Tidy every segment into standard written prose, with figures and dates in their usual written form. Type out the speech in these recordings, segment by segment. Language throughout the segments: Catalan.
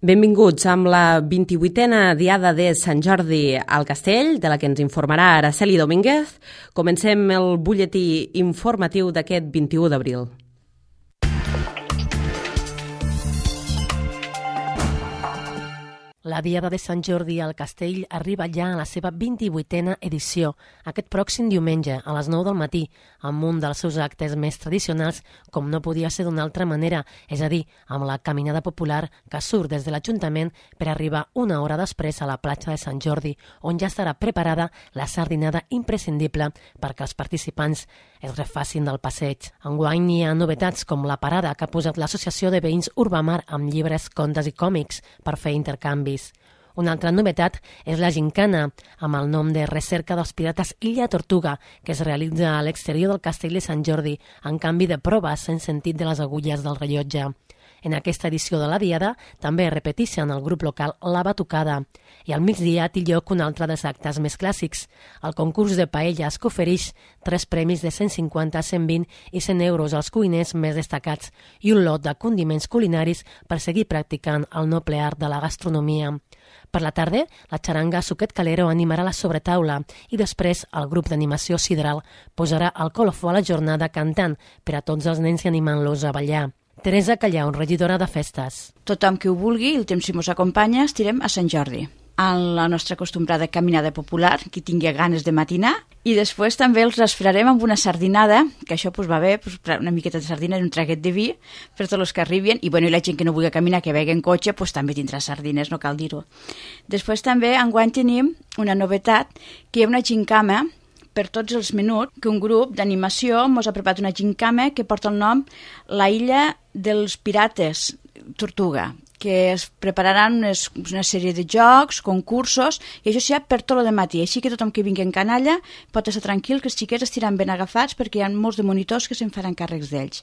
Benvinguts amb la 28a Diada de Sant Jordi al Castell, de la que ens informarà Araceli Domínguez. Comencem el butlletí informatiu d'aquest 21 d'abril. La Diada de Sant Jordi al Castell arriba ja a la seva 28a edició, aquest pròxim diumenge a les 9 del matí, amb un dels seus actes més tradicionals, com no podia ser d'una altra manera, és a dir, amb la caminada popular que surt des de l'Ajuntament per arribar una hora després a la platja de Sant Jordi, on ja estarà preparada la sardinada imprescindible perquè els participants es refacin del passeig. Enguany hi ha novetats com la parada que ha posat l'Associació de Veïns Urbamar amb llibres, contes i còmics per fer intercanvis. Una altra novetat és la gincana, amb el nom de Recerca dels Pirates Illa Tortuga, que es realitza a l'exterior del Castell de Sant Jordi, en canvi de proves en sentit de les agulles del rellotge. En aquesta edició de la Diada també repeteixen el grup local La Batucada i al migdia té lloc un altre dels actes més clàssics, el concurs de paelles que ofereix 3 premis de 150, 120 i 100 euros als cuiners més destacats i un lot de condiments culinaris per seguir practicant el noble art de la gastronomia. Per la tarda, la xaranga Suquet Calero animarà la sobretaula i després el grup d'animació Sidral posarà el colofó a la jornada cantant per a tots els nens i animant-los a ballar. Teresa Callau, regidora de festes. Tothom que ho vulgui, el temps si mos acompanya, estirem a Sant Jordi. En la nostra acostumbrada caminada popular, qui tingui ganes de matinar, i després també els rasfrarem amb una sardinada, que això va bé, una miqueta de sardina i un traguet de vi per tots els que arribin, i la gent que no vulgui caminar, que vegi en cotxe, també tindrà sardines, no cal dir-ho. Després també, enguany tenim una novetat, que hi ha una gincama per tots els minuts, que un grup d'animació ens ha preparat una gincama que porta el nom La Illa dels Pirates Tortuga, que es prepararan una sèrie de jocs, concursos, i això serà per tot el matí. Així que tothom que vingui en canalla pot estar tranquil, que els xiquets estiran ben agafats perquè hi ha molts de monitors que se'n faran càrrecs d'ells.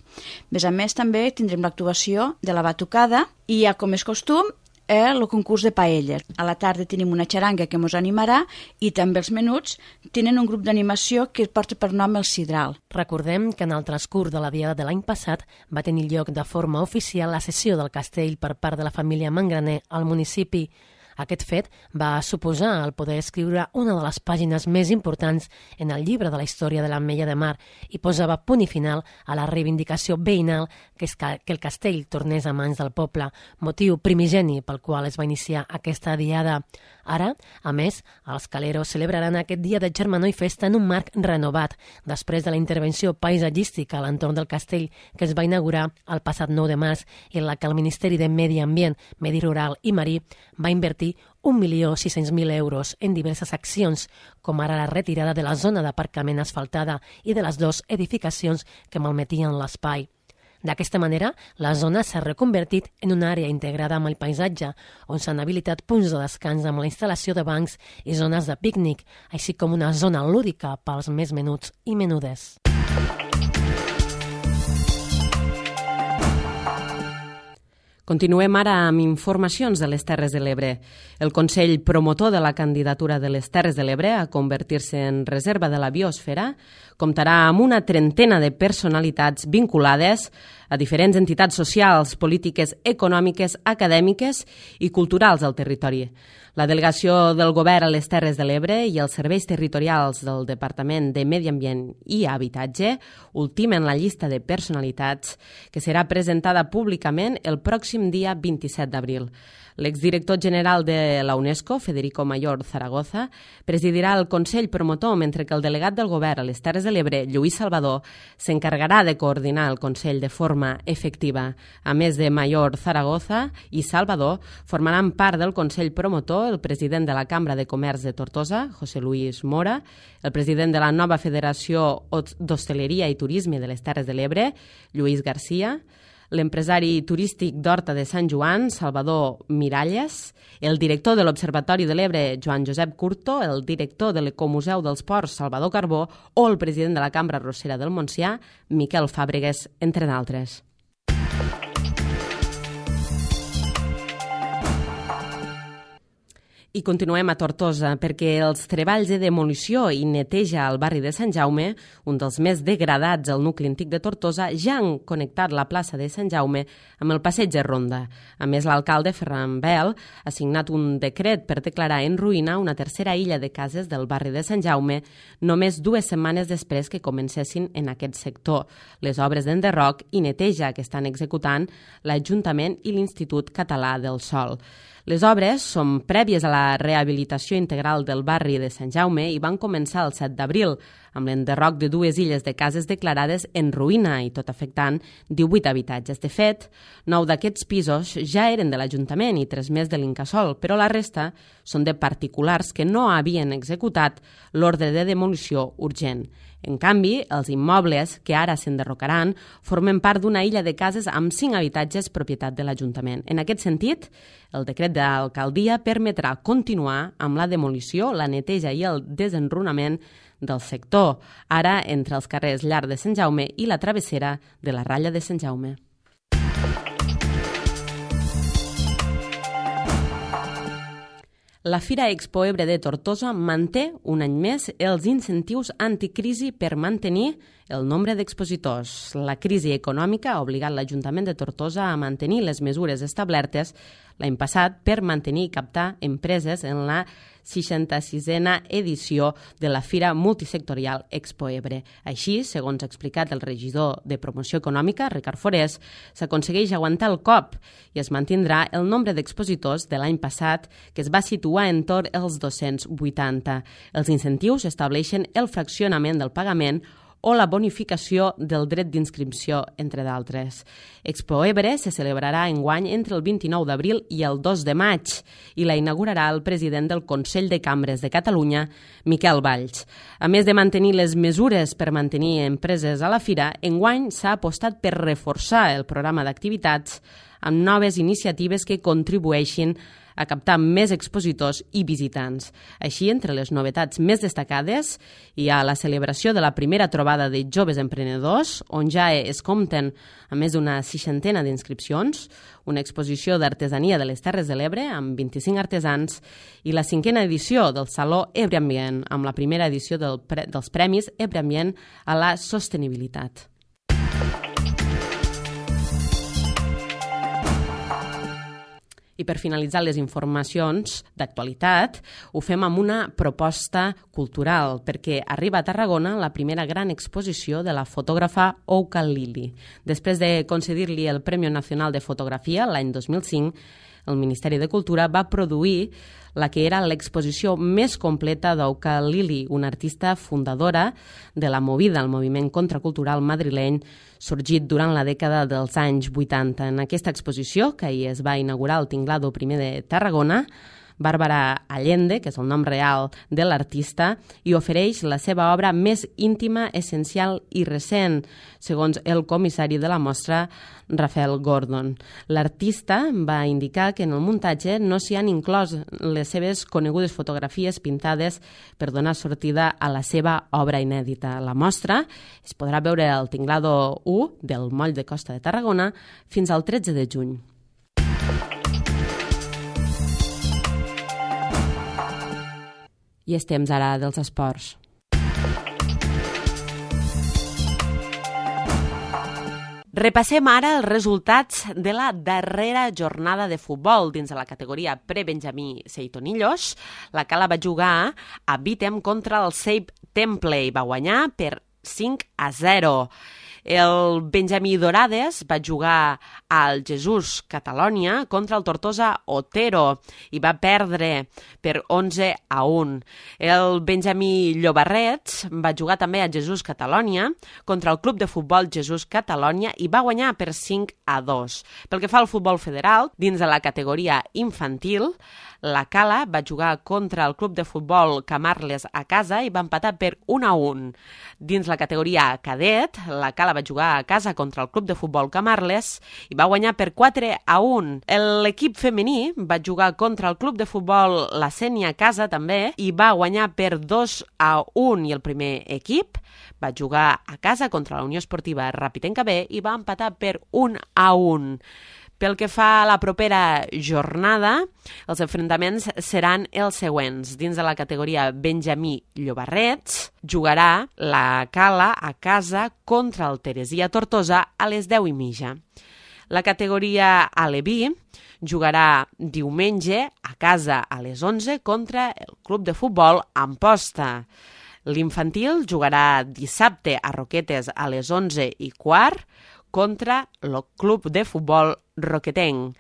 A més, també tindrem l'actuació de La Batucada i, com és costum, el concurs de paelles. A la tarda tenim una xaranga que ens animarà i també els menuts tenen un grup d'animació que porta per nom el Sidral. Recordem que en el transcurs de la Diada de l'any passat va tenir lloc de forma oficial la cessió del castell per part de la família Mangraner al municipi. Aquest fet va suposar el poder escriure una de les pàgines més importants en el llibre de la història de l'Ametlla de Mar i posava punt i final a la reivindicació veïnal que el castell tornés a mans del poble, motiu primigeni pel qual es va iniciar aquesta diada. Ara, a més, els caleros celebraran aquest dia de germanor i festa en un marc renovat, després de la intervenció paisatgística a l'entorn del castell que es va inaugurar el passat 9 de març i en la que el Ministeri de Medi Ambient, Medi Rural i Marí va invertir 1.600.000 euros en diverses accions, com ara la retirada de la zona d'aparcament asfaltada i de les 2 edificacions que malmetien l'espai. D'aquesta manera, la zona s'ha reconvertit en una àrea integrada amb el paisatge, on s'han habilitat punts de descans amb la instal·lació de bancs i zones de pícnic, així com una zona lúdica pels més menuts i menudes. Continuem ara amb informacions de les Terres de l'Ebre. El Consell Promotor de la candidatura de les Terres de l'Ebre a convertir-se en reserva de la biosfera comptarà amb una trentena de personalitats vinculades a diferents entitats socials, polítiques, econòmiques, acadèmiques i culturals del territori. La delegació del Govern a les Terres de l'Ebre i els serveis territorials del Departament de Medi Ambient i Habitatge ultimen la llista de personalitats que serà presentada públicament el pròxim dia 27 d'abril. L'exdirector general de la UNESCO, Federico Mayor Zaragoza, presidirà el Consell Promotor, mentre que el delegat del Govern a les Terres de l'Ebre, Lluís Salvador, s'encarregarà de coordinar el Consell de forma efectiva. A més de Mayor Zaragoza i Salvador, formaran part del Consell Promotor el president de la Cambra de Comerç de Tortosa, José Luis Mora, el president de la nova Federació d'Hostaleria i Turisme de les Terres de l'Ebre, Lluís Garcia, l'empresari turístic d'Horta de Sant Joan, Salvador Miralles, el director de l'Observatori de l'Ebre, Joan Josep Curto, el director de l'Ecomuseu dels Ports, Salvador Carbó, o el president de la Cambra Arrossera del Montsià, Miquel Fàbregues, entre d'altres. I continuem a Tortosa, perquè els treballs de demolició i neteja al barri de Sant Jaume, un dels més degradats al nucli antic de Tortosa, ja han connectat la plaça de Sant Jaume amb el passeig de Ronda. A més, l'alcalde Ferran Bel ha signat un decret per declarar en ruïna una tercera illa de cases del barri de Sant Jaume només 2 setmanes després que comencessin en aquest sector. Les obres d'enderroc i neteja que estan executant l'Ajuntament i l'Institut Català del Sòl. Les obres són prèvies a la rehabilitació integral del barri de Sant Jaume i van començar el 7 d'abril, amb l'enderroc de 2 illes de cases declarades en ruïna i tot afectant 18 habitatges. De fet, 9 d'aquests pisos ja eren de l'Ajuntament i 3 més de l'Incasòl, però la resta són de particulars que no havien executat l'ordre de demolició urgent. En canvi, els immobles que ara s'enderrocaran formen part d'una illa de cases amb 5 habitatges propietat de l'Ajuntament. En aquest sentit, el decret de l'alcaldia permetrà continuar amb la demolició, la neteja i el desenrunament del sector, ara entre els carrers Llarg de Sant Jaume i la travessera de la Ratlla de Sant Jaume. La Fira Expo Ebre de Tortosa manté un any més els incentius anticrisi per mantenir el nombre d'expositors. La crisi econòmica ha obligat l'Ajuntament de Tortosa a mantenir les mesures establertes l'any passat per mantenir i captar empreses en la 66a edició de la Fira Multisectorial Expo Ebre. Així, segons ha explicat el regidor de Promoció Econòmica, Ricard Forés, s'aconsegueix aguantar el cop i es mantindrà el nombre d'expositors de l'any passat, que es va situar entorn els 280. Els incentius estableixen el fraccionament del pagament o la bonificació del dret d'inscripció, entre d'altres. Expo Ebre se celebrarà enguany entre el 29 d'abril i el 2 de maig i la inaugurarà el president del Consell de Cambres de Catalunya, Miquel Valls. A més de mantenir les mesures per mantenir empreses a la fira, enguany s'ha apostat per reforçar el programa d'activitats amb noves iniciatives que contribueixin a captar més expositors i visitants. Així, entre les novetats més destacades hi ha la celebració de la primera trobada de joves emprenedors, on ja es compten a més d'una 60 d'inscripcions, una exposició d'artesania de les Terres de l'Ebre amb 25 artesans i la 5a edició del Saló Ebre Ambient, amb la primera edició dels Premis Ebre Ambient a la sostenibilitat. I per finalitzar les informacions d'actualitat, ho fem amb una proposta cultural, perquè arriba a Tarragona la primera gran exposició de la fotògrafa Ouka Lili. Després de concedir-li el Premi Nacional de Fotografia l'any 2005, el Ministeri de Cultura va produir la que era l'exposició més completa d'Ouka Lili, una artista fundadora de la Movida, el moviment contracultural madrileny, sorgit durant la dècada dels anys 80. En aquesta exposició, que ahir es va inaugurar al Tinglado I de Tarragona, Bàrbara Allende, que és el nom real de l'artista, i ofereix la seva obra més íntima, essencial i recent, segons el comissari de la mostra, Rafael Gordon. L'artista va indicar que en el muntatge no s'hi han inclòs les seves conegudes fotografies pintades per donar sortida a la seva obra inèdita. La mostra es podrà veure al Tinglado 1 del Moll de Costa de Tarragona fins al 13 de juny. I és temps ara dels esports. Repassem ara els resultats de la darrera jornada de futbol dins de la categoria pre-Benjamí Seitonillos. La Cala va jugar a Bitem contra el Save Temple i va guanyar per 5-0. El Benjamí Dorades va jugar al Jesús Catalònia contra el Tortosa Otero i va perdre per 11-1. El Benjamí Llobarrets va jugar també a Jesús Catalònia contra el Club de Futbol Jesús Catalònia i va guanyar per 5-2. Pel que fa al futbol federal, dins de la categoria infantil, la Cala va jugar contra el Club de Futbol Camarles a casa i va empatar per 1-1. Dins la categoria cadet, la Cala va jugar a casa contra el Club de Futbol Camarles i va guanyar per 4-1. L'equip femení va jugar contra el Club de Futbol La Sénia a casa també i va guanyar per 2-1. I el primer equip va jugar a casa contra la Unió Esportiva Ràpid en Cabé i va empatar per 1-1. Pel que fa a la propera jornada, els enfrontaments seran els següents. Dins de la categoria Benjamí Llobarrets, jugarà la Cala a casa contra el Teresia Tortosa a les 10:30. La categoria Aleví jugarà diumenge a casa a les 11 contra el Club de Futbol Amposta. L'infantil jugarà dissabte a Roquetes a les 11:15 contra el Club de Futbol Roquetenc.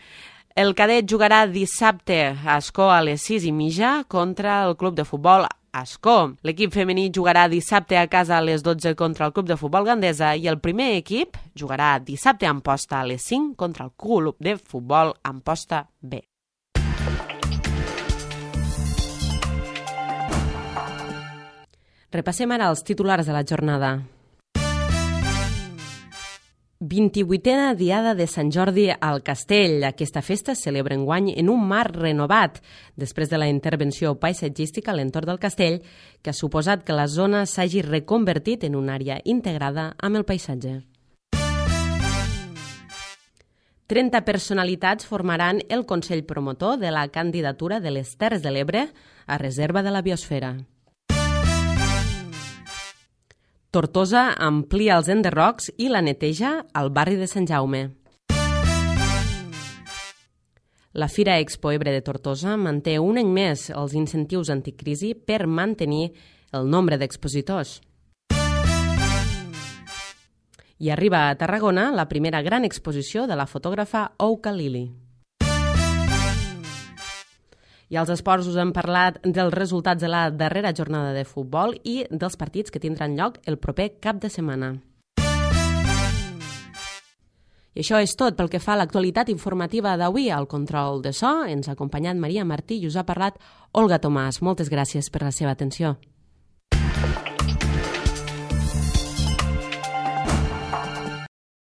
El cadet jugarà dissabte a Ascó a les 6:30 contra el Club de Futbol Ascó. L'equip femení jugarà dissabte a casa a les 12 contra el Club de Futbol Gandesa i el primer equip jugarà dissabte a Amposta a les 5 contra el Club de Futbol Amposta B. Repassem ara els titulars de la jornada. 28a Diada de Sant Jordi al Castell. Aquesta festa es celebra enguany en un mar renovat, després de la intervenció paisatgística a l'entorn del castell, que ha suposat que la zona s'hagi reconvertit en una àrea integrada amb el paisatge. 30 personalitats formaran el Consell Promotor de la candidatura de les Terres de l'Ebre a reserva de la biosfera. Tortosa amplia els enderrocs i la neteja al barri de Sant Jaume. La Fira Expo Ebre de Tortosa manté un any més els incentius anticrisi per mantenir el nombre d'expositors. I arriba a Tarragona la primera gran exposició de la fotògrafa Ouka Lili. I als esports us hem parlat dels resultats de la darrera jornada de futbol i dels partits que tindran lloc el proper cap de setmana. I això és tot pel que fa a l'actualitat informativa d'avui. Al control de so ens ha acompanyat Maria Martí i us ha parlat Olga Tomàs. Moltes gràcies per la seva atenció.